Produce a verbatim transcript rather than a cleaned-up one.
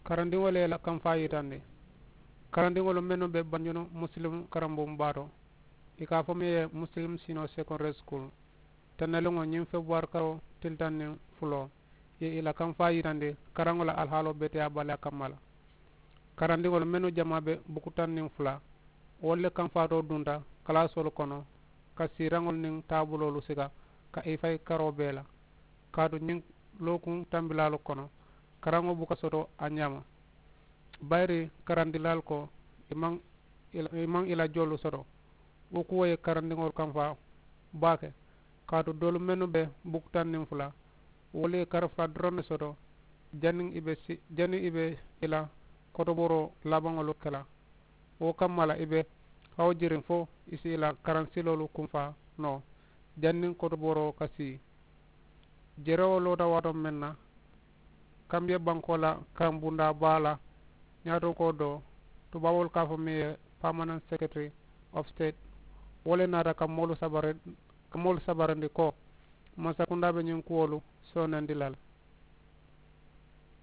Karandiŋolu ye i la kamfaa yitandi. Karandiŋolu mennu be banjunu muslim karambuŋ baa to, i ka a fo meŋ ye muslim sino secondary school, tennaliŋo ñiŋ febuwaari karoo tili taŋ niŋ fuloo ye i la kamfaa yitandi karaŋo la alihaaloo beteyaa baliyaa kamma la. Karandiŋolu mennu jamaa be buku taŋ niŋ fula, wolu le kamfaatoo dunta kalaasoolu kono ka siiraŋolu niŋ taabuloolu sika ka i fayi karoo bee la. Kaatu ñiŋ lookuŋ tambilaalu kono, karaŋo buka soto a ñaama. Bayiri karandilaalu ko i maŋ i la joolu soto. Wo kuwo ye karandiŋolu kamfaa baake. Kaatu doolu mennu be buku taŋ niŋ fula, wolu ye kari fula doroŋ ne soto. Janniŋ i be i la kotobooroo labaŋolu ke la, wo kamma la i be hawujiriŋ fo i si i la karansiloolu kumfaa noo janniŋ kotobooroo ka sii. Jerewo loota waatoo meŋ na, kambiya bankoo la kaŋ bundaa baa la ñaatonkoo doo, tubaaboolu ka a fo meŋ ye permanent secretary of state, wo le naata ka moolu sabarindi ko mansakundaa be ñiŋ kuwolu soonandi la le.